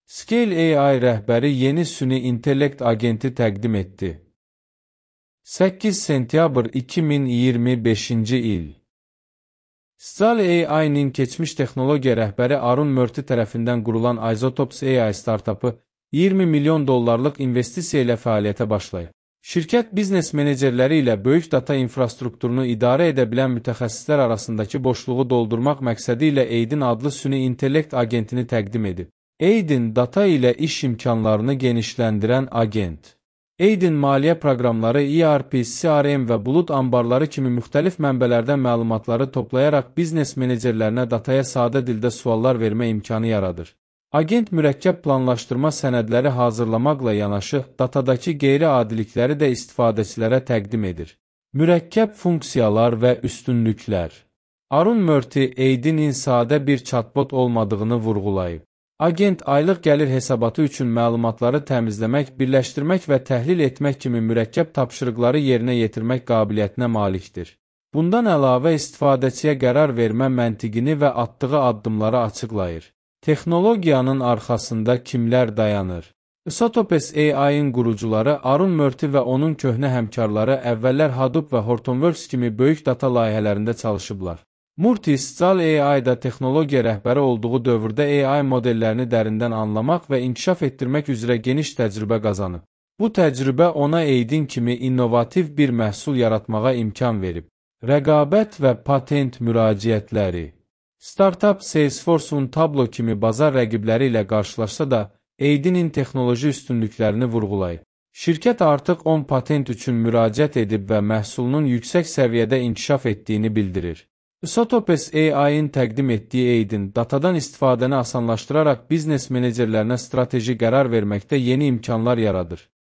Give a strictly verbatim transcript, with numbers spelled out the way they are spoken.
Scale A I rəhbəri yeni süni intellekt agenti təqdim etdi. səkkiz sentyabr iki min iyirmi beşinci il. Scale A I-nin keçmiş texnologiya rəhbəri Arun Murti tərəfindən qurulan Isotopes A I startapı iyirmi milyon dollarlıq investisiya ilə fəaliyyətə başlayıb. Şirkət biznes menecerləri ilə böyük data infrastrukturunu idarə edə bilən mütəxəssislər arasındakı boşluğu doldurmaq məqsədi ilə Aidin adlı süni intellekt agentini təqdim edib. Aidin data ilə iş imkanlarını genişləndirən agent. Aidin maliyyə proqramları, E R P, C R M və bulud anbarları kimi müxtəlif mənbələrdən məlumatları toplayaraq biznes menecerlərinə dataya sadə dildə suallar vermə imkanı yaradır. Agent mürəkkəb planlaşdırma sənədləri hazırlamaqla yanaşı, datadakı qeyri-adilikləri də istifadəçilərə təqdim edir. Mürəkkəb funksiyalar və üstünlüklər. Arun Murti, Aidin sadə bir chatbot olmadığını vurğulayıb. Agent aylıq gəlir hesabatı üçün məlumatları təmizləmək, birləşdirmək və təhlil etmək kimi mürəkkəb tapşırıqları yerinə yetirmək qabiliyyətinə malikdir. Bundan əlavə istifadəçiyə qərar vermə məntiqini və atdığı addımları açıqlayır. Texnologiyanın arxasında kimlər dayanır? Isotopes A I-in qurucuları Arun Murti və onun köhnə həmkarları əvvəllər Hadoop və Hortonworks kimi böyük data layihələrində çalışıblar. Murti, Scale A I-da texnologiya rəhbəri olduğu dövrdə A I modellərini dərindən anlamaq və inkişaf etdirmək üzrə geniş təcrübə qazanıb. Bu təcrübə ona Aidin kimi innovativ bir məhsul yaratmağa imkan verib. Rəqabət və patent müraciətləri. Startup Salesforce-un Tableau kimi bazar rəqibləri ilə qarşılaşsa da, Aidin texnoloji üstünlüklərini vurğulayıb. Şirkət artıq on patent üçün müraciət edib və məhsulunun yüksək səviyyədə inkişaf etdiyini bildirir. Isotopes A I-in təqdim etdiyi Aidin, datadan istifadəni asanlaşdıraraq biznes menecerlərinə strateji qərar verməkdə yeni imkanlar yaradır.